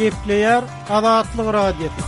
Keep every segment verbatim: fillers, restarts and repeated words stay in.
Gepleýär Azatlyk Radiosy.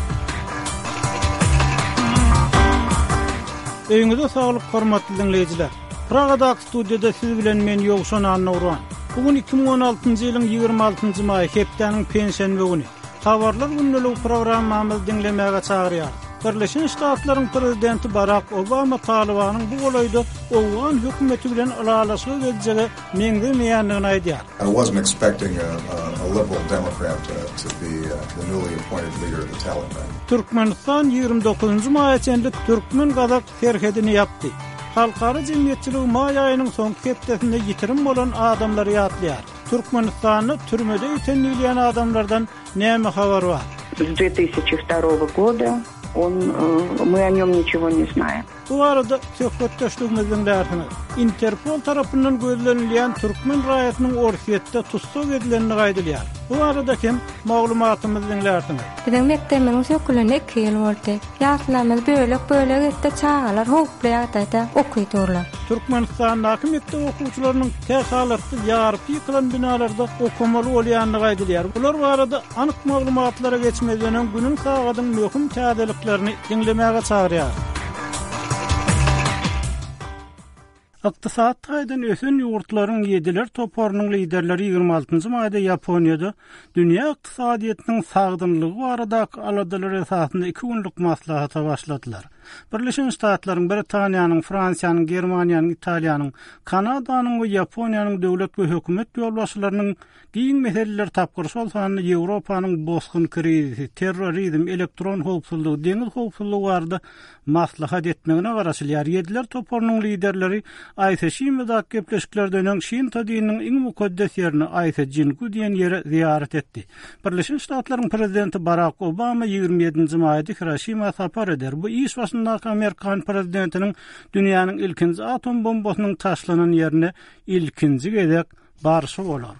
Öýüňize saglyk hormatly diňleýjiler. Pragadaky studiýada siz bilen men Ýowşan Annagurban. Bu gün iki müň on altynjy ýylyň ýigrimi altynjy maýy hepdäniň penşenbe güni. Habarlar gündeligi programmamyzy diňlemäge çagyrýarys. Birleşen Ştatlaryň prezidenti Barak Obama Talibanyň bu golaýda Owgan hökümeti bilen ylalaşyga geljege meňzemeýändigini aýdýar. I wasn't expecting a, a, a liberal Democrat to, to be, uh, the newly appointed leader of the Taliban. Türkmenistan ýigrimi dokuzynjy maýa çenli türkmen-gazak serhedini ýapdy. Halkara jemgyýetçiligi maý aýynyň soňky hepdesinde ýitirim bolan adamlary ýatlaýar. Türkmenistanda türmede ýiten diýilýän adamlardan näme habar bar? С две тысячи второго года он, э, мы о нем ничего не знаем. Bu arada söhbetdeşligimizi diňlärsiňiz. Interpol tarapyndan gözlenilýän türkmen raýatynyň Orsýetde tussag edilenini aýdylýar. Bu arada hem maglumatymyzy diňlärsiňiz. Biziň mekdebimiziň söküleni iki ýyl boldy. Ýaşlarymyz bölek-bölek etdi, çagalar howply ýagdaýda okudurlar. Türkmenistandaky mekdep okuwçylarynyň tähalatly ýaryp ýykylan binalarda okamaly bolýandygy aýdylýar. Bular barada anyk maglumatlara geçmezden öň günüň sagadyň möhüm täzeliklerini diňlemäge çagyrýar. Ykdysat taýdan ösen ýurtlaryň ýediler toparynyň liderleri ýigrimi altynjy maýda Ýaponiýada dünýä ykdysadyýetiniň sagdynlygy baradaky aladalar esasynda iki günlük maslahata başladylar. Birleşen Ştatlaryň, Britaniýanyň, Fransiýanyň, Germaniýanyň, Italiýanyň, Kanadanyň we Ýaponiýanyň döwlet we hökümet ýolbaşçylarynyň giň meseleler tapgyr, şol sanda Ýewropanyň bosgun krizisi, terrorizm, elektron howpsuzlygy, deňiz howpsuzlygy barada maslahat etmegine garaşylýar. Ýediler toparynyň liderleri Aýse Şimadak gepleşiklerden öň Şinto dininiň iň mukaddes ýerine Aýse Jingu diýen ýere ziýaret etdi. Birleşen Ştatlaryň prezidenti Barack Obama ýigrimi ýedinji maýda Hiroşima sapar eder. Bu iş başyndaky Amerikan prezidentiniň dünýäniň ilkinji atom bombasynyň taşlanan ýerine ilkinji gezek barşy bolar.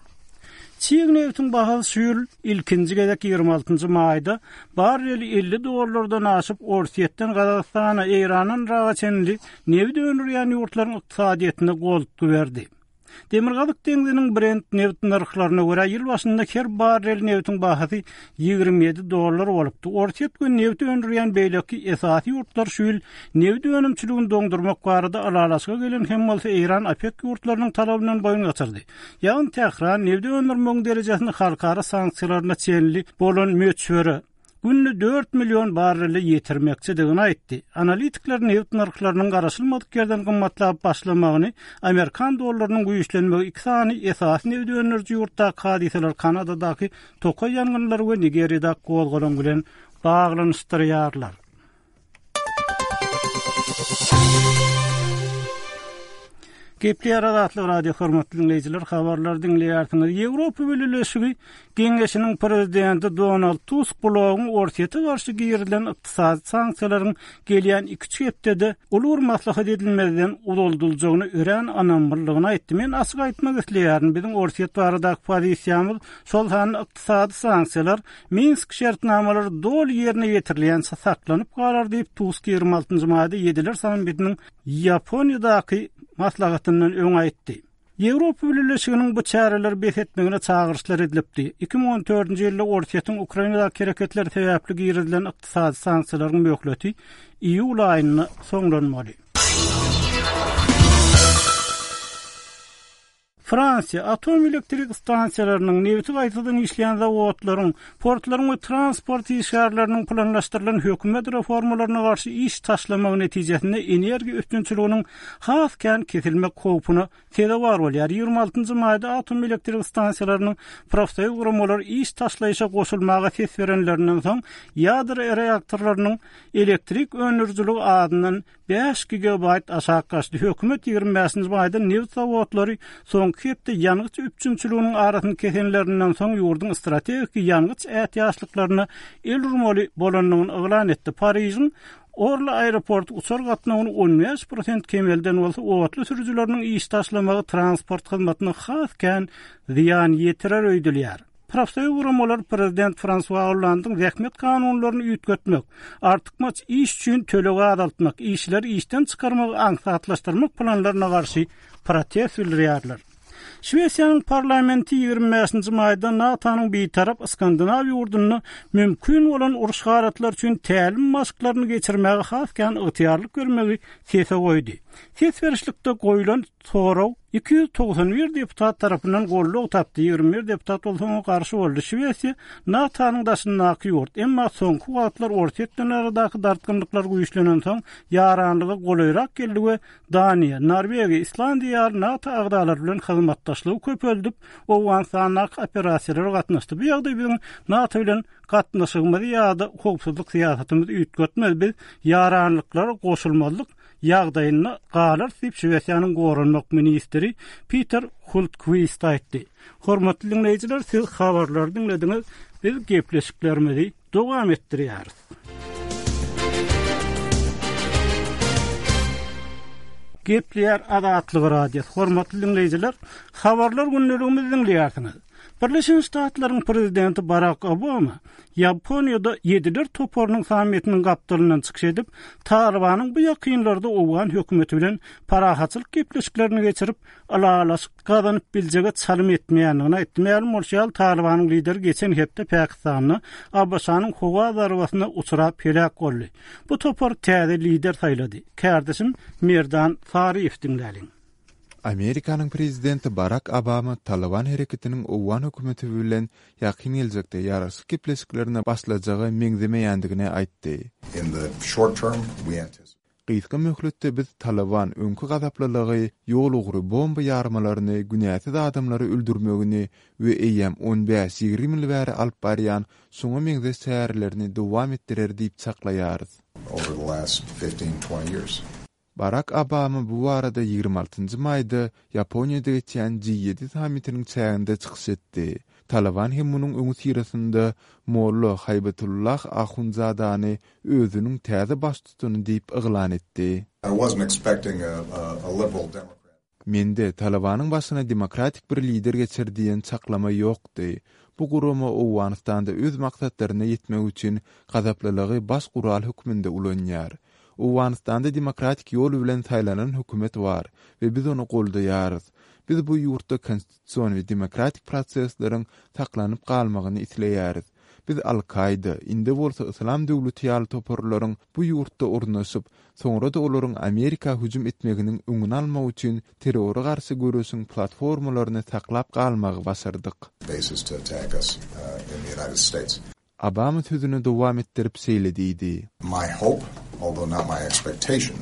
Çig nebitiň bahasy şu ýyl ilkinji gezek ýigrimi altynjy maýda barreli elli dollardan aşyp Orsýetden Gazagystana, Eýrandan Yraga çenli nebit öndürýän ýurtlaryň ykdysadyýetine goltgy berdi. Demirgazyk deňziniň Brent nebit nyrhlaryna görä ýyl başynda her barrel nebitiň bahasy ýigrimi ýedi dollar bolupdy. Orsýet we nebit öndürýän beýleki esasy ýurtlar şu ýyl nebit önümçiligini doňdurmak barada ylalaşyga gelen hem bolsa Eýran OPEC ýurtlarynyň talabyndan boýun gaçyrdy. Ýagny Tähran nebit öndürmegiň derejesini halkara sanksiýalaryna çenli bolan möçbere günde dört milyon barreli ýetirmekçidigini aýtdy. Analitikler nebit nyrhlarynyň garaşylmadyk ýerden gymmatlap başlamagyny Amerikan dollarynyň güýçlenmegi iki sany esasy nebit öndüriji ýurtdaky hadysalar Kanadadaky tokaý ýangynlary we Nigeriýadaky gozgalaň bilen baglanyşdyrýarlar. Gepleýär Azatlyk Radio hormatly dinleýjiler, habarlar diňleýärsiňiz. Ýewropa Bileleşigi Geňeşiniň prezidenti Donald Tusk blogyň Orsýete garşy girilen ykdysady sanksiýalaryň gelýän iki hepdede uly bir maslahat edilmezden uzaldyljagyny örän ynamlydygyny aýtdy. Men açyk aýtmak isleýärin, biziň Orsýet baradaky pozisiýamyz, şol sanda ykdysady sanksiýalar Minsk şertnamalary doly ýerine ýetirilýänçe saklanyp galar diýip Tusk ýigrimi altynjy maýda ýediler sammitiniň Ýaponiýadaky maslahatyndan öň aýtdy. Ýewropa Bileleşiginiň bu çäreleri bes etmegine çagyryşlar edilipdi. Iki müň on dördünji ýylda Orsýetiň Ukrainadaky hereketleri sebäpli girizilen ykdysady sanksiýalaryň möhleti iýul aýynda soňlanmaly. Fransiýa atom elektrik stansiýalarynyň, nebiti gaýtadan işleýän zawodlaryň, portlaryň we transport işgärleriniň planlaşdyrylan hökümet reformalaryna garşy iş taşlamagy netijesinde energiýa üpjünçiliginiň has kän kesilmek howpuna sezewar bolýar. Ýigrimi altynjy maýda atom elektrik stansiýalarynyň profsoýuz guramalary iş taşlaýşa goşulmaga ses berenlerinden soň ýadro reaktorlarynyň elektrik öndürijiligi adyndan bäş gigabayt aşak gaçdy. Hökümet ýigrimi bäşinji maýda nebit zawodlary soňky hepde ýangyç üpjünçiliginiň arasyny kesenlerinden soň ýurduň strategik ýangyç ätiýaçlyklaryna el urmaly bolandygyny yglan etdi. Parižiň Orly aeroporty uçar gatnawyny on bäş prosent kemelden bolsa otly sürüjileriniň iş taşlamagy transport hyzmatyna has kän zyýan ýetirer öýdülýär. Profsoýuz guramalar prezident François Hollande'ın zähmet kanunlaryny üýtgetmek, artykmaç iş üçin tölegi azaltmak, işleri işden çykarmagy aňsatlaşdyrmak planlaryna garşy protest bildirýärler. Şwesiýanyň parlamenti ýigrimi bäşinji maýda NATO-nyň bitarap Skandinaw ýurdunda mümkin bolan uruş halatlary üçin tälim maşklaryny geçirmäge has kän ygtyýarlyk bermegi sese goýdy. Ses berişlikde goýlan sorag iki ýüz togsan bir deputat tarapyndan goldaw tapdy, ýigrimi bir deputat bolsa oňa garşy boldy. Şwesiýa NATO-nyň daşyndaky ýurt, emma soňky wagtlar Orsýet bilen aradaky dartgynlyklar güýçlenensoň ýaranlyga golaýrak geldi we Daniýa, Norwegiýa, Islandiýa ýaly NATO agzalary bilen hyzmatdaşlygy köpeldip, Owganystandaky operasiýalara gatnaşdy. Bu ýagdaý biziň NATO bilen gatnaşygymyzy ýa-da howpsuzlyk syýasatymyzy üýtgetmez. Biz ýaranlyklara goşulmazlyk ýagdaýynda galarys diýip Şwesiýanyň goranmak ministri Peter Hultqvist aýtdy. Hormatly dinleýjiler, siz habarlary diňlediňiz. Biz gepleşiklerimizi dowam etdirýäris. Gepleýär Azatlyk Radiosy. Hormatly dinleýjiler, habarlar gündeligimizi diňleýärsiňiz. Birleşen Ştatlaryň prezidenti Barack Obama Ýaponiýada ýediler toparynyň sammitiniň gapdalyndan çykyş edip, Talibanyň bu ýakynlarda Owgan hökümeti bilen parahatçylyk gepleşiklerini geçirip, ylalaşyk gazanyp biljege çalym etmeýändigini aýtdy. Mälim bolşy ýaly, Talibanyň lideri geçen hepde Pakistanda A B Ş-nyň howa zarbasyna uçrap heläk boldy. Bu topar täze lider saýlady. Kärdeşim Merdan Saryýew diňläliň. Amerikanyň prezidenti Barack Obama Taliban hereketiniň Owgan hökümeti bilen ýakyn geljekde ýaraşyk gepleşiklerine başlajaga meňzemeýändigini aýtdy. In the short term, we anticipate Gysga möhletde biz Taliban öňki gazaplylygy, ýol ugry bomba ýarmalaryny, günäsiz adamlary öldürmegini we eýýäm on bäş-ýigrimi ýyl bäri alyp barýan şoňa meňzeş çärelerini dowam etdirer diýip çaklaýarys. Over the last fifteen, twenty years. Barack Obama bu barada ýigrimi altynjy maýda Ýaponiýada geçýän G ýedi sammitiniň çäginde çykyş etdi. Taliban hem munuň öňüsyrasynda Molla Haýbatullah Ahundzadany özüniň täze baştutany diýip yglan etdi. I wasn't expecting a, a, a liberal Democrat. Mende Talibanyň başyna demokratik bir lider geçer diýen çaklama ýokdy. Bu gurama Owganystanda öz maksatlaryna ýetmek üçin gazaplylygy baş gural hökmünde ulanýar. Owganystanda demokratik ýol bilen saýlanan hökümet bar we biz ony goldaýarys. Biz bu ýurtda konstitusion we demokratik prosesleriň saklanyp galmagyny isleýäris. Biz Al-Kaida, indi bolsa Islam döwleti ýaly toparlaryň bu ýurtda ornaşyp, soňra da olaryň Amerika hüjüm etmeginiň öňüni almak üçin terrora garşy göreşiň platformalaryny saklap galmagy başardyk. Bases to attack us, uh, in the United States. Obama sözüni dowam etdirip şeýle diýdi. My hope, although not my expectation.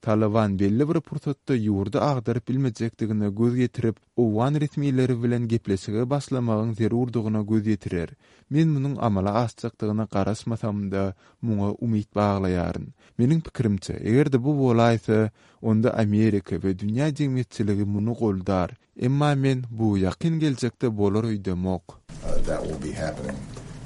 Taliban belli bir pursatda ýurdy agdaryp bilmejekdigine göz ýetirip, Owgan resmileri bilen gepleşige başlamagyň zerurdygyna göz ýetirer. Men munuň amala aşjakdygyna garaşmasam-da, muňa umyt baglaýaryn. Meniň pikirimçe, eger-de bu bolaýsa, onda Amerika we dünýä jemgyýetçiligi muny goldar. Emma men bu ýakyn geljekde bolar öýdemok. Uh, that will be happening,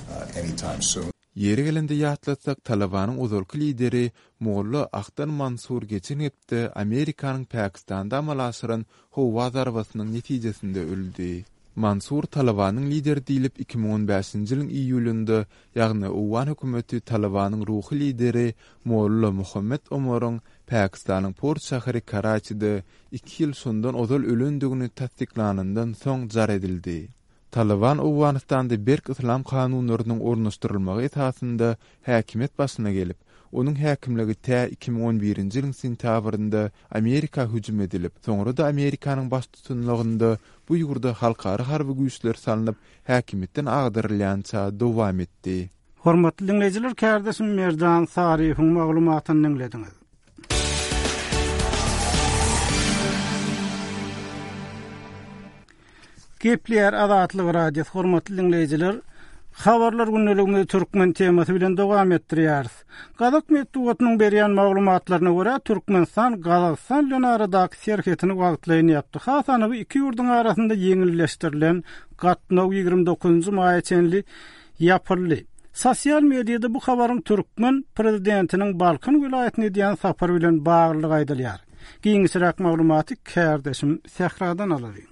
uh, anytime soon. Ýeri gelende ýatlatsak, Talibanyň ozalky lideri Molla Ahtar Mansur geçen hepde Amerikanyň Pakistanda amala aşyran howa zarbasynyň netijesinde öldi. Mansur Talibanyň lideri diýlip iki müň on bäşinji ýylyň iýulynda, ýagny Owgan hökümeti Talibanyň ruhy lideri Molla Muhammed Omaryň Pakistanyň port şäheri Karaçide iki ýyl şondan ozal ölendigini tassyklanyndan soň jar edildi. Taliban Owganystanda berk yslam kanunlarynyň ornaşdyrylmagy esasynda häkimiýet başyna gelip, onuň häkimligi tä iki müň on birinji ýylyň sentýabrynda Amerika hüjüm edilip, soňra da Amerikanyň baştutanlygynda bu ýurda halkara harby güýçler salnyp, häkimiýetden agdarylýança dowam etdi. Hormatly dinleýjiler, kärdeşim Merdan Saryýewiň maglumatyny diňlediňiz. Gepleýär Azatlyk Radiosy, hormatly dinleýjiler, habarlar gündeligimizi türkmen temasy bilen dowam etdirýäris. Gazak metbugatynyň berýän maglumatlaryna görä, Türkmenistan Gazagystan bilen aradaky serhetini wagtlaýyn ýapdy. Has anygy iki ýurduň arasynda ýeňilleşdirilen gatnaw ýigrimi dokuzynjy maýa çenli ýapyldy. Sosial mediada bu habaryň türkmen prezidentiniň Balkan welaýatyna edýän sapary bilen baglylygy aýdylýar. Giňişräk maglumaty kärdeşim Sähradan alalyň.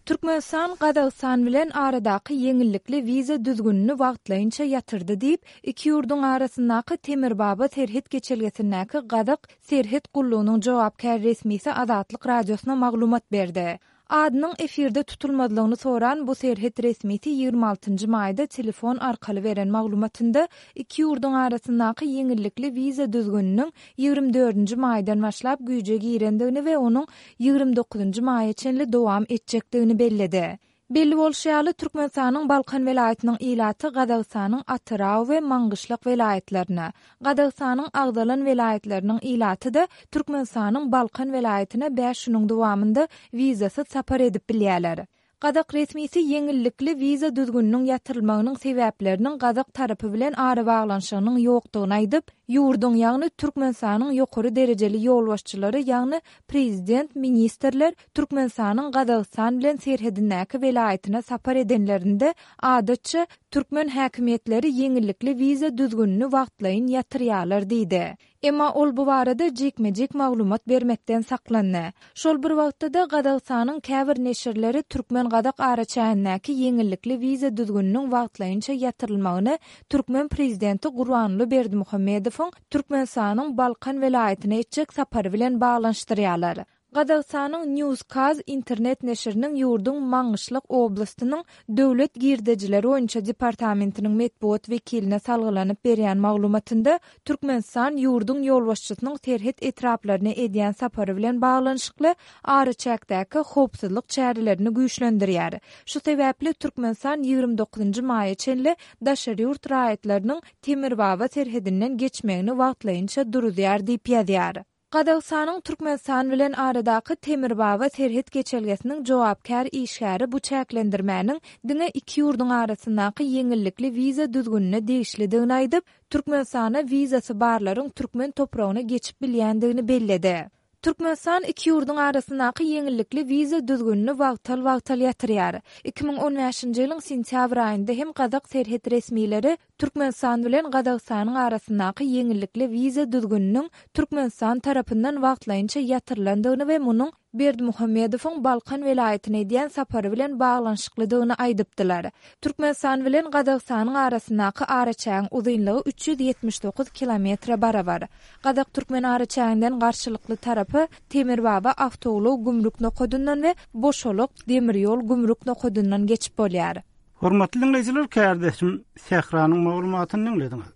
Türkmenistan Gazagystan bilen aradaky ýeňillikli wiza düzgünini wagtlaýynça ýatyrdy diýip, iki ýurduň arasyndaky Temirbaba serhet geçelgesindäki Gazak serhet gullugynyň jogapkär resmisi Azatlyk Radiosyna maglumat berdi. Adynyň efirde tutulmazlygyny soran bu serhet resmisi ýigrimi altynjy maýda telefon arkaly beren maglumatynda iki ýurduň arasyndaky ýeňillikli wiza düzgüniniň ýigrimi dördünji maýdan başlap güýje girendigini we onuň ýigrimi dokuzynjy maýa çenli dowam etjekdigini belledi. Belli bolşy ýaly, Türkmenistanyň Balkan welaýatynyň ilaty Gazagystanyň Atyrau we Maňgyşlak welaýatlaryna, Gazagystanyň agzalan welaýatlarynyň ilaty-da Türkmenistanyň Balkan welaýatyna bäş günüň dowamynda wizasyz sapar edip bilýärler. Gazak resmisi ýeňillikli wiza düzgüniniň ýatyrylmagynyň sebäpleriniň gazak tarapy bilen arabaglanyşygynyň ýokdugyny aýdyp, ýurduň, ýagny Türkmenistanyň ýokary derejeli ýolbaşçylary, ýagny prezident, ministrler Türkmenistanyň Gazagystan bilen serhedindäki welaýatyna sapar edenlerinde, adatça, türkmen häkimiýetleri ýeňillikli wiza düzgünini wagtlaýyn ýatyrýarlar diýdi. Emma ol bu barada jikme-jik maglumat bermekden saklandy. Şol bir wagtda-da, Gazagystanyň käbir neşirleri türkmen-gazak araçägindäki ýeňillikli wiza düzgüniniň wagtlaýynça ýatyrylmagyny türkmen prezidenti Gurbanguly Berdimuhamedowyň Türkmenistanyň Balkan welaýatyna etjek sapary bilen baglanyşdyrýarlar. Gazagystanyň Newskaz internet neşiriniň ýurduň Maňgyşlak oblastynyň Döwlet girdejileri boýunça departamentiniň metbugat wekiline salgylanyp berýän maglumatynda Türkmenistan ýurduň ýolbaşçysynyň serhet etraplaryna edýän sapary bilen baglanyşykly araçäkdäki howpsuzlyk çärelerini güýçlendirýär. Şu sebäpli Türkmenistan ýigrimi dokuzynjy maýa çenli daşary ýurt raýatlarynyň Temirbaba serhedinden geçmegini wagtlaýynça duruzýar diýip ýazýar. Gazagystanyň Türkmenistan bilen aradaky Temirbaba serhet geçelgesiniň jogapkär işgäri bu çäklendirmäniň diňe iki ýurduň arasyndaky ýeňillikli wiza düzgünine degişlidigini aýdyp, Türkmenistana wizasy barlaryň türkmen topragyna geçip bilýändigini belledi. Türkmenistan iki ýurduň arasyndaky ýeňillikli wiza düzgünini wagtal-wagtal ýatyrýar. Iki müň on bäşinji ýylyň sentýabr aýynda hem gazak serhet resmileri Türkmenistan bilen Gazagystanyň arasyndaky ýeňillikli wiza düzgüniniň Türkmenistan tarapyndan wagtlaýynça ýatyrylandygyny we munuň Berdimuhamedowyň Balkan welaýatyna edýän sapary bilen baglanyşyklydygyny aýdypdylar. Türkmenistan bilen Gazagystanyň arasyndaky araçägiň uzynlygy üç ýüz ýetmiş dokuz kilometre barabar. Gazak-türkmen araçäginden garşylykly tarapa Temirbaba awtoulag gümrük nokadyndan we Boşalak demir ýol gümrük nokadyndan geçip bolýar. Hormatly diňleýjiler, kärdeşim Sähranyň maglumatyny diňlediňiz.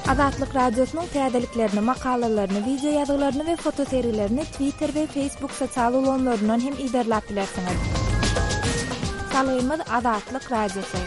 Azatlyk Radiosynyň täzeliklerini, makalalaryny, wideo ýazgylaryny we fotosergilerini Twitter we Facebook sosial ulgamlaryndan hem yzarlap bilersiňiz. Salgymyz Azatlyk Radiosy.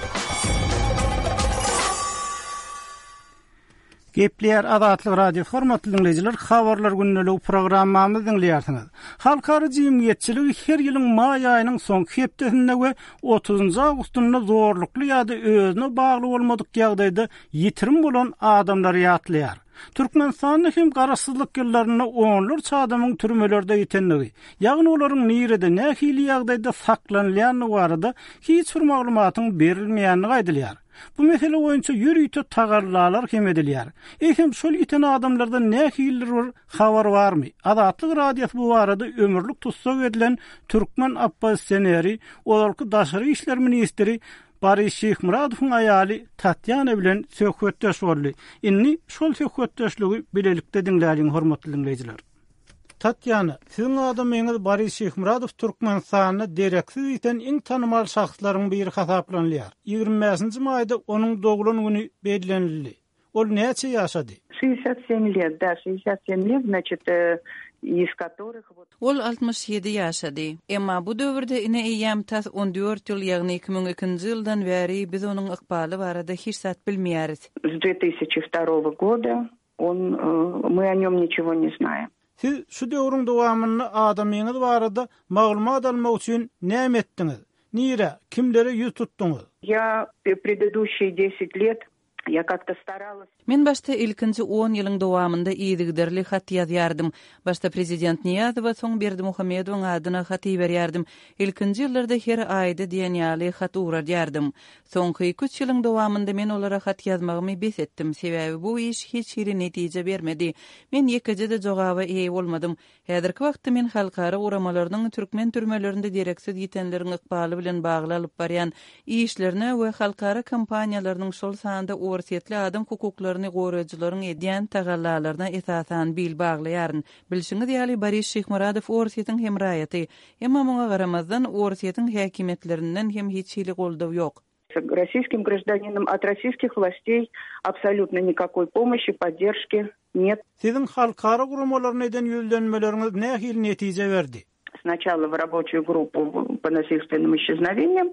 Gepleýär Azatlyk Radiosy hormatly diňleýjiler, habarlar gündeligi programmamyzy diňleýärsiňiz. Halkara jemgyýetçiligi her ýylyň maý aýynyň soňky hepdesinde we otuzynjy awgustynda zorlukly ýa-da özüne bagly bolmadyk ýagdaýda ýitirim bolan adamlary ýatlaýar. Türkmenistanda hem garaşsyzlyk ýyllarynda onlarça adamyň türmelerde ýitenligi, ýagny olaryň nirede nähili ýagdaýda saklanylýandygy barada hiç bir maglumatyň berilmeýändigi aýdylýar. Bu mesele boýunça ýörite tagallalar hem edilýär. Eýsem şol ýiten adamlardan nähilidir bir habar barmy? Azatlyk Radiosy bu barada ömürlik tussag edilen türkmen oppozisioneri, ozalky daşary işler ministri Boris Şyhmyradowyň aýaly Tatýana bilen söhbetdeş boldy. Indi şol söhbetdeşligi bilelikde diňläliň hormatly diňleýjiler. Tatýana, siziň adamyňyz Boris Şyhmyradow Türkmenistanda dereksiz ýiten iň tanymal şahslaryň biri hasaplanylýar. Ýigrimi bäşinji maýda onuň doglan güni bellenildi. Ol näçe ýaşady? Шестьдесят семь лет, да, шестьдесят семь лет, значит, э, из которых вот Ol altmyş ýedi ýaşady. Emma bu döwürde ine eýýäm tas on dört ýyl, ýagny iki müň ikinji ýyldan bäri biz onuň ykbaly barada hiç zat bilmeýäris. С две тысячи второго года он, э, мы о нем ничего не знаем. Siz şu döwrüň dowamynda adamyňyz barada maglumat almak üçin näme etdiňiz? Nire, kimlere ýüz tutduňyz? Я предыдущие десять лет я как-то старалась. Men başda ilkinji on ýylyň dowamynda yzygiderli hat ýazýardym. Başda prezident Niýazowa, soň Berdimuhamedowyň adyna hat iberýärdim. Ilkinji ýyllarda her aýda diýen ýaly hat ugradýardym. Soňky iki üç ýylyň dowamynda men olara hat ýazmagymy bes etdim. Sebäbi bu iş hiç hili netije bermedi. Men ýekeje-de jogaba eýe bolmadym. Häzirki wagtda men halkara guramalarynyň türkmen türmelerinde dereksiz ýitenleriň ykbaly bilen bagly alyp barýan işlerine we halkara kompaniýalarynyň şol sanda orsýetli adam hukuklaryny goraýjylaryň edýän tagallalaryna esasan bil baglaýaryn. Bilşiňiz ýaly, Boris Şyhmyradow Orsýetiň hem raýaty. Emma muňa garamazdan, Orsýetiň häkimiýetlerinden hem hiç hili goldaw ýok. Российским гражданином от российских властей абсолютно никакой помощи, поддержки нет. Siziň halkara guramalaryna eden ýüzlenmeleriňiz nähili netije berdi? Сначала в рабочую группу по насильственным исчезновениям,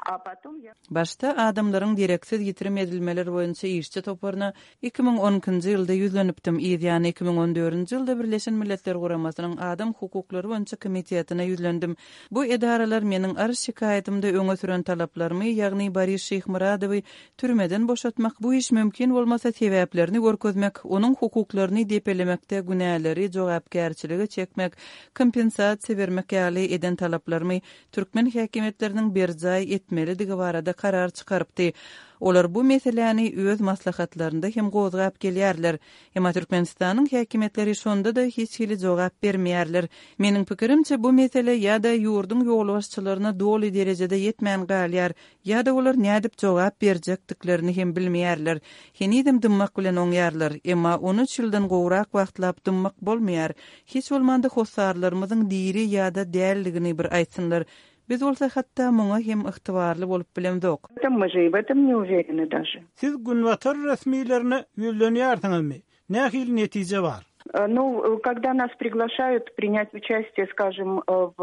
а потом я... Başda adamlaryň dereksiz ýitirim edilmeleri boýunça işçi toparyna iki müň on ikinji ýylda ýüzlenipdim. Yzýany iki müň on dördünji ýylda Birleşen Milletler Guramasynyň Adam hukuklary boýunça komitetine ýüzlendim. Bu edaralar meniň arz şikaýatymda öňe süren talaplarymy, ýagny Boris Şyhmyradowy türmeden boşatmak, bu iş mümkin bolmasa sebäplerini görkezmek, onuň hukuklaryny depelemekde günäleri jogapkärçilige çekmek, kompensasiýa bermek ýaly eden talaplarymy türkmen häkimiýetleriniň berjaý etmelidigi barada karar çykarypdy. Olar bu meseläni öz maslahatlarynda hem gozgap gelýärler. Emma Türkmenistanyň häkimiýetleri şonda-da hiç hili jogap bermeýärler. Meniň pikirimçe bu mesele ýa-da ýurduň ýolbaşçylaryna doly derejede ýetmän galýar, ýa-da olar nädip jogap berjekdiklerini hem bilmeýärler. Henizem dymmak bilen oňýarlar, emma on üç ýyldan gowrak wagtlap dymmak bolmaýar. Hiç bolmanda hossarlarymyzyň diri ýa-da dälligini bir aýtsynlar. Biz bolsa hatda muňa hem ygtybarly bolup bilemzok. Мы же и в этом не уверены даже. Siz Günbatar resmilerine ýüzlenýärsiňizmi? Nähili netije bar? Э, ну, когда нас приглашают принять участие, скажем, э, в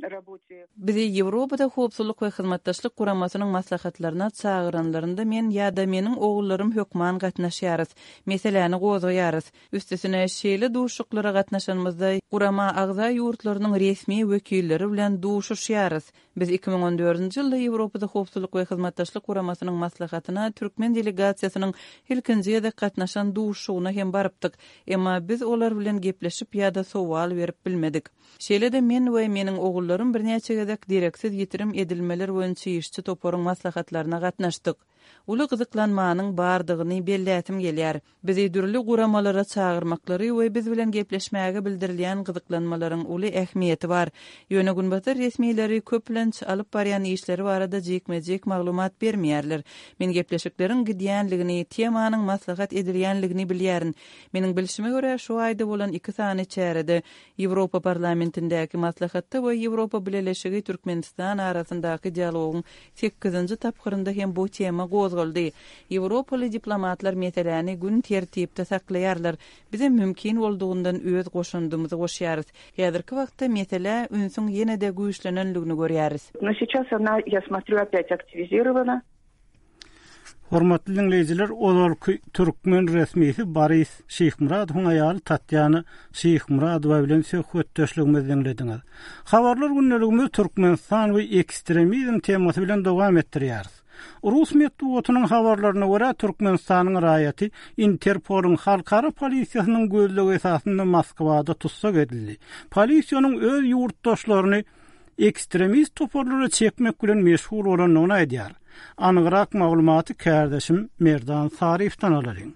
работе... Bizi Ýewropada howpsuzlyk we hyzmatdaşlyk guramasynyň maslahatlaryna çagyranlarynda men ýa-da meniň ogullarym hökman gatnaşýarys. Meseläni gozgaýarys. Üstesine şeýle duşuşyklara gatnaşanymyzda gurama agza ýurtlarynyň resmi wekilleri bilen duşuşýarys. Biz iki müň on dördünji ýylda Ýewropada howpsuzlyk we hyzmatdaşlyk guramasynyň maslahatyna türkmen delegasiýasynyň ilkinji gezek gatnaşan duşuşygyna hem barypdyk. Emma biz olar bilen gepleşip ýa-da sowal berip bilmedik. Şeýle-de men we meniň ogullarym birnäçe gezek dereksiz ýitirim edilmeler boýunça işçi toparyň maslahatlaryna gatnaşdyk. Uly gyzyklanmanyň bardygyny bellätim gelýär. Bizi dürli guramalara çagyrmaklary we biz bilen gepleşmäge bildirilýän gyzyklanmalaryň uly ähmiýeti bar. Ýöne Günbatar resmileri köplenç alyp barýan işleri barada jikme-jik maglumat bermeýärler. Men gepleşikleriň gidýänligini, temanyň maslahat edilýänligini bilýärin. Meniň bilşime görä şu aýda bolan iki sany çärede Ýewropa parlamentindäki maslahatda we Ýewropa Bileleşigi Türkmenistan arasyndaky dialogyň sekizinji tapgyrynda hem bu tema gozgaldy. Ýewropaly diplomatlar meseläni gün tertipde saklaýarlar. Bize mümkin boldugundan öz goşundymyzy goşýarys. Häzirki wagtda mesele ünsüň ýene-de güýçlenenligini görýäris. Но сейчас она, я смотрю, опять активизирована. Hormatly dinleýjiler, ozalky türkmen resmisi Boris Şyhmyradowyň aýaly Tatýana Şyhmyradowa bilen söhbetdeşligimizi dinlediňiz. Habarlar gündeligimiz Türkmenistan we ekstremizm temasy bilen dowam etdirýäris. Rus metbugatynyň habarlaryna görä Türkmenistanyň raýaty Interpolyň halkara polisiýasynyň gözlegi esasynda Moskwada tussag edildi. Polisiýanyň öz ýurtdaşlaryny ekstremist toparlara çekmek bilen meşgul bolandygyny aýdýar. Anygyrak maglumaty kärdeşim Merdan Saryýewden alalyň.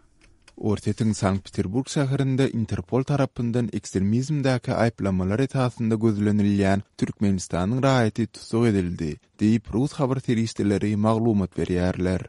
Orsýetiň Sankt-Peterburg şäherinde Interpol tarapyndan ekstremizmdäki aýyplamalar esasynda gözlenilýän Türkmenistanyň raýaty tussag edildi, diýip Rus habar serişdeleri maglumat berýärler.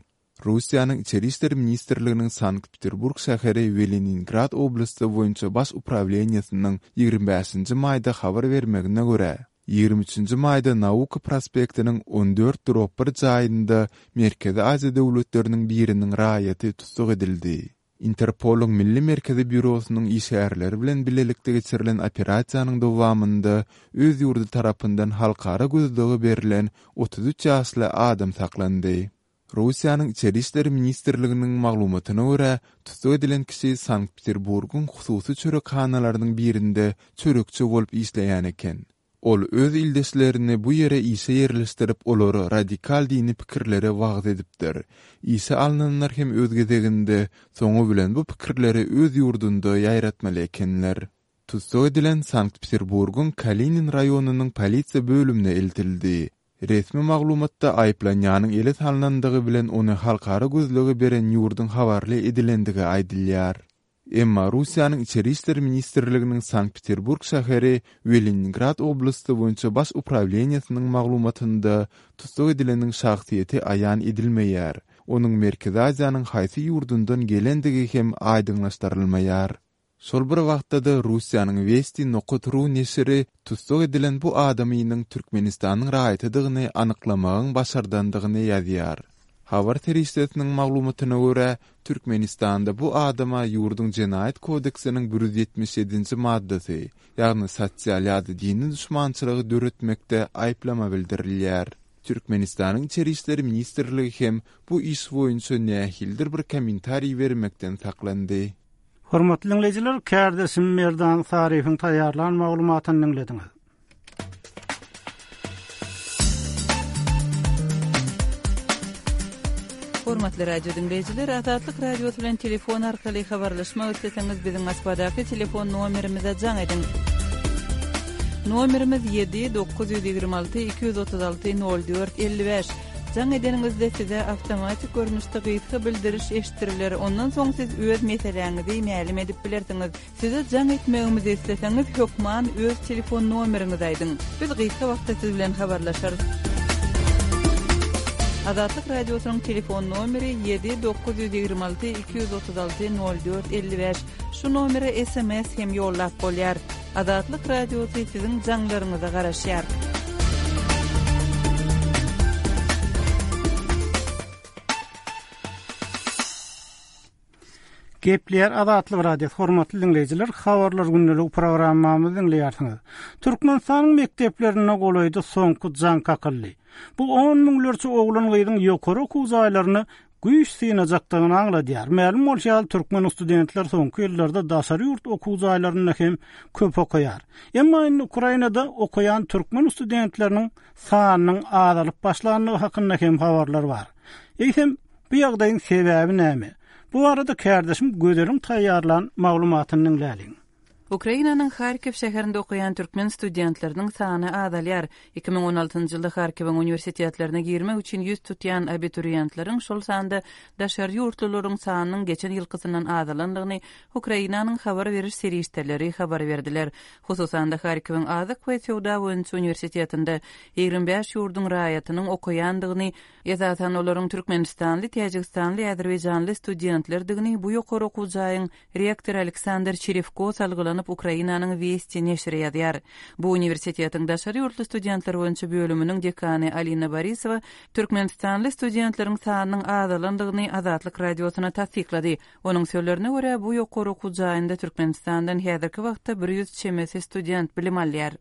Russiýanyň Içeri işler ministrliginiň Sankt-Peterburg şäheri we Leningrad oblasty boýunça baş uprawleniýasynyň ýigrimi bäşinji maýda habar bermegine görä, ýigrimi üçünji maýda Nauka prospektiniň on dört drop bir jaýynda Merkezi Aziýa döwletleriniň biriniň raýaty tussag edildi. Interpolyň Milli Merkezi Býurosynyň işgärleri bilen bilelikde geçirilen operasiýanyň dowamynda öz ýurdy tarapyndan halkara gözlegi berlen otuz üç ýaşly adam saklandy. Russiýanyň Içeri işler ministrliginiň maglumatyna görä, tussag edilen kişi Sankt-Peterburgyň hususy çörekhanalarynyň birinde çörekçi bolup işleýän eken. Ol öz ildeşlerini bu ýere işe ýerleşdirip, olara radikal dini pikirlere wagz edipdir. Işe alnanlar hem öz gezeginde soňy bilen bu pikirleri öz ýurdunda ýaýratmaly ekenler. Tussag edilen Sankt-Peterburgyň Kalinin raýonynyň polisiýa bölümine eltildi. Resmi maglumatda aýyplanýanyň ele salnandygy bilen ony halkara gözlegi beren ýurduň habarly edilendigi aýdylýar. Emma Russiýanyň Içeri işler ministrliginiň Sankt-Peterburg şäheri we Leningrad oblasty boýunça baş uprawleniýasynyň maglumatynda tussag edileniň şahsyýeti aýan edilmeýär. Onuň Merkezi Aziýanyň haýsy ýurdundan gelendigi hem aýdyňlaşdyrylmaýar. Şol bir wagtda-da Russiýanyň Westi nokat ru neşiri tussag edilen bu adamynyň Türkmenistanyň raýatydygyny anyklamagyň başardandygyny ýazýar. Habar serişdesiniň maglumatyna görä, Türkmenistanda bu adama ýurduň Jenaýat kodeksiniň bir ýüz ýetmiş ýedinji maddasy, ýagny sosial ýa-da dini duşmançylygy döretmekde aýyplama bildirilýär. Türkmenistanyň Içeri işler ministrligi hem bu iş boýunça nähilidir bir kommentariý bermekden saklandy. Hormatly diňleýjiler, kärdeşim Merdan Saryýewiň taýýarlan maglumatyny diňlediňiz. Hormatly radio diňleýjiler, Azatlyk Radiosy bilen telefon arkaly habarlaşmak isleseňiz, biziň Moskwadaky telefon nomerimize jaň ediň. Nomerimiz ýedi dokuz ýüz ýigrimi alty iki ýüz otuz alty nol dört elli bäş. Jaň edeniňizde size awtomatik görnüşde gysga bildiriş eşitdiriler, ondan soň siz öz meseläňizi mälim edip bilersiňiz. Size jaň etmegimizi isleseňiz, hökman öz telefon nomeriňizi aýdyň. Biz gysga wagtda siz bilen habarlaşarys. Azatlyk Radiosynyň telefon nomeri ýedi dokuz ýüz ýigrimi alty iki ýüz otuz alty nol dört elli bäş. Şu nomere S M S hem ýollap bolýar. Azatlyk Radiosy siziň jaňlaryňyza garaşýar. Gepleýär Azatlyk Radiosy, hormatly diňleýjiler, habarlar gündelik programmamyzy diňleýärsiňiz. Türkmenistanyň mekdeplerinde golaýda soňky jaň kakyldy. Bu on müňlerçe oglan gyzyň ýokary okuw jaýlaryna güýç synajakdygyny aňladýar. Mälim bolşy ýaly, türkmen studentler soňky ýyllarda daşary ýurt okuw jaýlarynda hem köp okaýar. Emma indi Ukrainada okaýan türkmen studentleriniň sanynyň azalyp başlandygy hakynda hem habarlar bar. Eýsem, bu ýagdaýyň sebäbi näme? Bu arada kärdeşim Gözeliň taýýarlan maglumatyny diňläliň. Ukrainanyň Harkiw şäherinde okaýan türkmen studentleriniň sany azalýar. Iki müň on altynjy ýylda Harkiwiň uniwersitetlerine girmek üçin ýüz tutýan abituriýentleriň, şol sanda daşary ýurtlularyň sanynyň geçen ýylkysyndan azalandygyny Ukrainanyň habar beriş serişdeleri habar berdiler. Hususan-da Harkiwiň Azyk we Söwda boýunça uniwersitetinde ýigrimi bäş ýurduň raýatynyň okaýandygyny, esasan olaryň Türkmenistanly, Täjigistanly, Azerbaýjanly studentlerdigini bu ýokary okuw jaýyň rektory Aleksandr Çerewko salgylanyp Ukrainanyň Westi neşiri ýazýar. Bu uniwersitetiň daşary ýurtly studentler boýunça bölüminiň dekany Alina Borisowa Türkmenistanly studentleriň sanynyň azalandygyny Azatlyk Radiosyna tassyklady. Onuň sözlerine görä, bu ýokary okuw jaýynda Türkmenistandan häzirki wagtda bir ýüz çemesi student bilim alýar.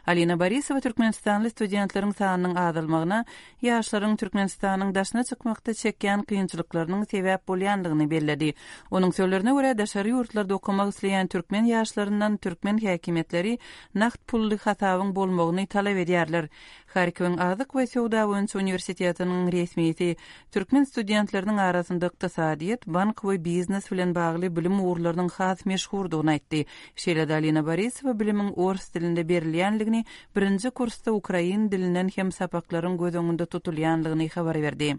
Alina Borisowa Türkmenistanly studentleriň sanynyň azalmagyna ýaşlaryň Türkmenistanyň daşyna çykmakda çekýän kynçylyklarynyň sebäp bolýandygyny belledi. Onuň sözlerine görä, daşary ýurtlarda okamak isleýän türkmen ýaşlaryndan türkmen häkimiýetleri nagt pully hasabyň bolmagyny talap edýärler. Harkiwiň Azyk we Söwda boýunça uniwersitetiniň resmisi türkmen studentleriniň arasynda ykdysadyýet, bank we biznes bilen bagly bilim ugurlarynyň has meşhurdygyny aýtdy. Şeýle-de Alina Borisowa bilimiň ors dilinde berilýänligini, birinji kursda ukrain dilinden hem sapaklaryň göz öňünde tutulýanlygyny habar berdi.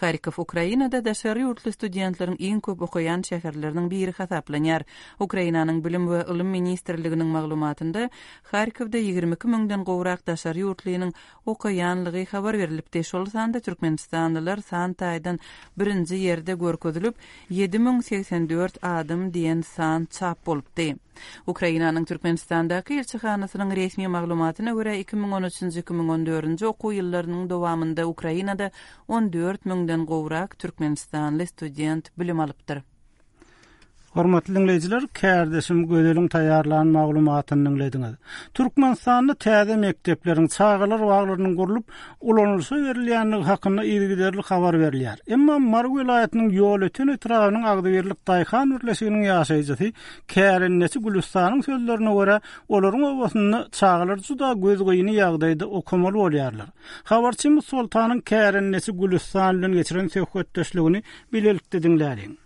Harkov Ukrainada daşary ýurtly studentleriň iň köp okaýan şäherleriniň biri hasaplanýar. Ukrainanyň Bilim we Ylym Ministrliginiň maglumatynda Harkovda ýigrimi iki müňden gowrak daşary ýurtlynyň okaýanlygy habar berilipdi. Şol sanda Türkmenistanlylar san taýdan birinji ýerde görkezilip, ýedi müň segsen dört adam diýen san çap bolupdy. Ukrainanyň Türkmenistandaky ilçihanasynyň resmi maglumatyna görä iki müň on üçünji, iki müň on dördünji okuw ýyllarynyň dowamynda Ukrainada on dört müňden gowrak Türkmenistanly student bilim alypdyr. Hormatly diňleýjiler, kärdeşim Gözeliň taýýarlan maglumatyny diňlediňiz. Türkmenistanda täze mekdepleriň, çagalar baglarynyň gurlup, ulanylyşa berilýändigi hakynda yzygiderli habar berilýär. Emma Mary welaýatynyň Ýolöten etrabynyň Agzybirlik Daýhan birleşiginiň ýaşaýjysy Kärendeçi Gülüstanyň sözlerine görä, olaryň obasynda çagalar juda gözgyny ýagdaýda okamaly bolýarlar. Habarçymyz Soltanyň Kärendeçi Gülüstan bilen geçiren söhbetdeşligini bilelikde diňläliň.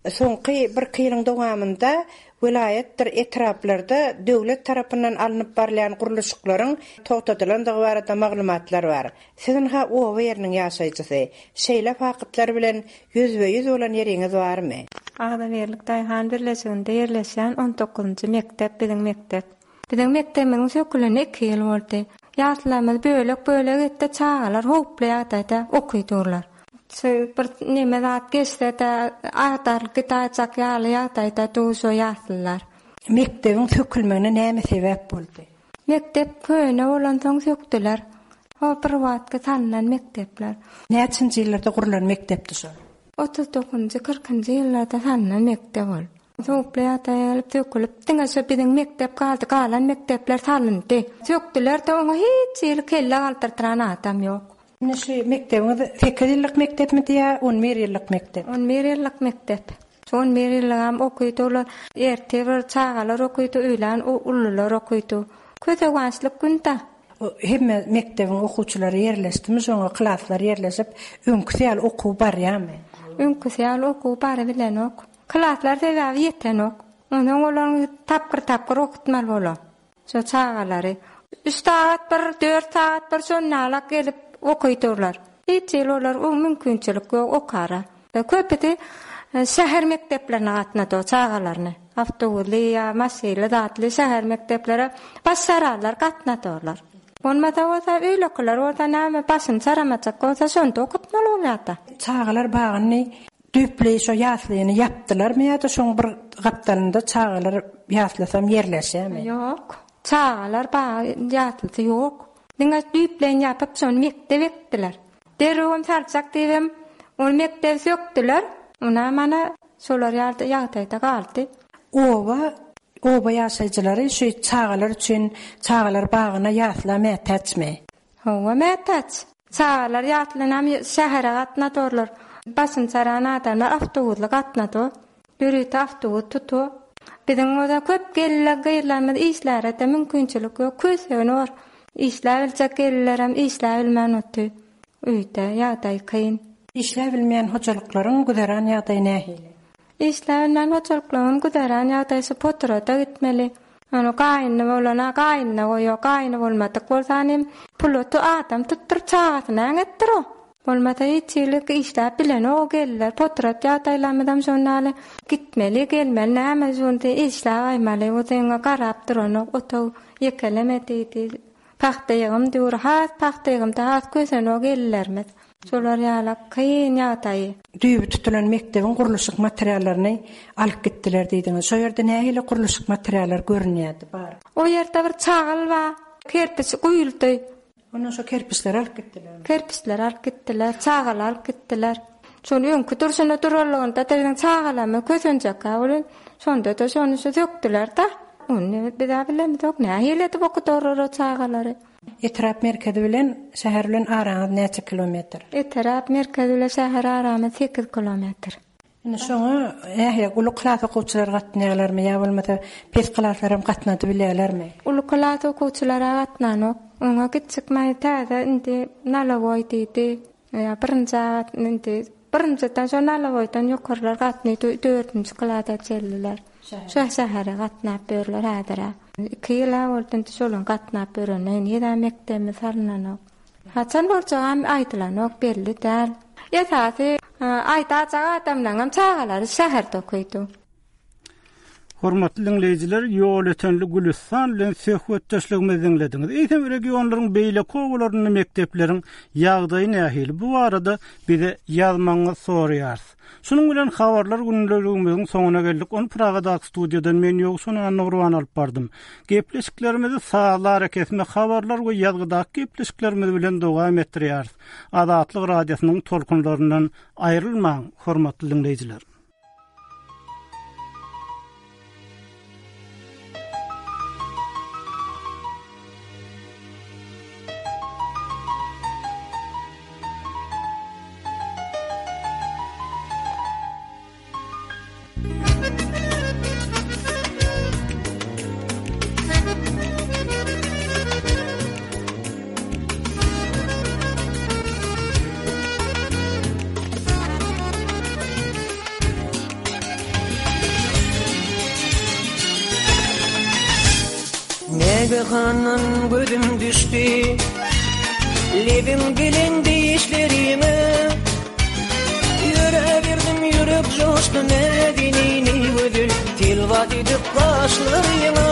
Soňky bir ýylyň dowamynda welaýatdyr etraplarda döwlet tarapyndan alnyp barylýan gurluşyklaryň togtadylandygy barada maglumatlar bar. Siziň ha oba ýeriniň ýaşaýjysy, şeýle faktlar bilen ýüzbe-ýüz bolan ýeriňiz barmy? Agzybirlik Daýhan birleşiginde ýerleşýän on dokuzynjy mekdep biziň mekdep. Biziň mekdebimiziň söküleni iki ýyl boldy. Ýaşlarymyz bölek-bölek etdi, çagalar howply ýagdaýda okudurlar. Şu bir neme zat geçse-de agdarylyp gidäýjek ýaly ýagdaýda dur şo ýaslylar. Mekdebiň sökülmegine näme sebäp boldy? Mekdep köne bolansoň sökdüler. O bir wagtky salnan mekdepler. Näçinji ýyllarda gurlan mekdepdi şol? Otuz dokuzynjy, kyrkynjy ýyllarda salnan mekdep ol. Sowukly ýagdaýa gelip sökülip, diňe şo biziň mekdep galdy, galan mekdepler salyndy. Sökdüler-de oňa hiç hili kelle galdyrdyran adam ýok. Indi şu mekdebiňiz sekiz ýyllyk mekdepmidi ýa on bir ýyllyk mekdep? On bir ýyllyk mekdep. Şu on bir ýyllygam okydy olar. Erte bir çagalar okydy, öýlän ulular okydy. Közewançlyk günde. O hemme mekdebiň okuwçylary ýerleşdimi, şoňa klaslar ýerleşip, öňküsi ýaly okuw barýarmy? Öňküsi ýaly okuw barybilenok. Klaslar sebäbi ýetenok. Ondan olaryň tapgyr-tapgyr okutmaly bolar. Şo çagalary. Üç sagat bir, dört sagat bir şonalak gelip okudurlar. Hiç ýyl olar o mümkinçilik ýok okara. Köpüsi şäher mekdeplerine gatnady o çagalaryny. Awtobusly ýa maşynly zatly şäher mekdeplere başararlar gatnadylar. Bolmasa bolsa öýlekler bolsa näme başyny çaramajak bolsa şonda okutmaly bolýardy. Çagalar bagyny düýpli şo ýaslyny ýapdylarmy ýa-da şoň bir gapdalynda çagalar ýaslasam ýerleşýärmi? Ýok. Çagalar bagy ýaslysy ýok. Diňe düýpleýin ýapyp şony mekdep etdiler. Derrewem salçak diýibem ony mekdep sökdüler. Ona mana şolar ýa-da ýagdaýda galdy. Oba, oba ýaşaýjylary şu çagalar üçin çagalar bagyna ýasla mätäçmi? Hawa, mätäç. Çagalar ýaslanam şähere gatnadorlar. Başyn çaran adamlar awtobusly gatnady. Ýörite awtobus tutu. Biziň oda köp gelirler, gyzlarymyz işlere de mümkinçilik ýok. Kösegini bar. Işläp biljek gelirlerem işläp bilmän oty. Öýde ýagdaý kyn. Işläp bilmeýän hojalyklaryň güzeran ýagdaýy nähili? Işläp bilmeýän hojalyklaryň güzeran ýagdaýy şu poturada gitmeli. Ony gaýyny bolana gaýynyna goýýar, gaýyny bolmadyk bolsa hem puluty adam tutduryp çagasyna äňetdir o. Bolmasa hiç ýylyk işläp bilen o gelirler. Poturat ýagdaýlarymyzam şondaly gitmeli, gelmeli, näme şonda işläp aýmaly. O zeňňe garap duranok, otag ýekeleme diýdi. Pagta ýygym diýur, has pagta ýygymda has kösen o gelirlerimiz. Şolar ýaly kyn ýagdaýy. Düýbi tutulan mekdebiň gurluşyk materiallaryny alyp gitdiler diýdiňiz. Şo ýerde nähili gurluşyk materiallar görünýärdi bar? O ýerde bir çagyl bar, kerpiç guýuldy. Ondan şo kerpiçleri alyp gitdiler. Kerpiçleri alyp gitdiler, çagyl alyp gitdiler. Şony öňkü durşuna duralygynda da biziň çagalamy kösenjek ha bolan. Şonda da şony şu sökdüler da. Ony biz bilemizok, nähili edip okudarlar o çagalary. Etrap merkezi bilen şäher bilen araňyz näçe kilometr? Etrap merkezi bilen şäher aramyz sekiz kilometr. Indi şoňa nähili uly klas okuwçylar gatnaýarlarmy ýa bolmasa pes klaslar hem gatnady bilýärlermi? Uly klas okuwçylara gatnanok. Oňa gitjek maý täze indi nalawoý diýdi. Ýa birinji indi birinjiden şo nalawoýdan ýokarlar gatnaýdy, dördünji klasa çeldiler. Şo şähere gatnap berler häzir. Iki ýyla boldy indi şolaň gatnap berene, indi ýa mekdebimiz salynanok. Haçan boljagy aýdylanok, belli däl. Esasy aýdajak adamlaryň çagalary şäherde okaýdy. Hormatly dinleýjiler, ýol ötenli Gülüstan bilen söhbetdeşligimizi dinlediňiz. Eýsem regionlaryň beýleki obalarynda mekdepleriň ýagdaýy nähili? Bu barada bize ýazmagyňyzy soraýarys. Şunuň bilen habarlar günlerimiziň soňuna geldik. Ony Pragadaky studiýadan men Ýowşan Annagurban alyp bardym. Gepleşiklerimizi sazlar kesme habarlar we ýazgydaky gepleşiklerimiz bilen dowam etdirýäris. Azatlyk radiosynyň tolkunlaryndan aýrylmaň, hormatly dinleýjiler. Negehandan gözüm düştü, lebim bilindi işlerime. Yüre verdim yürek coştu medinini ödül, tilvat edip kaşlarına.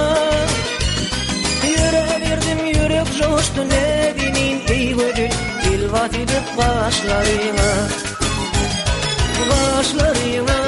Yüre verdim yürek coştu medinin ey ödül, tilvat edip kaşlarına. Gaşlaryňa.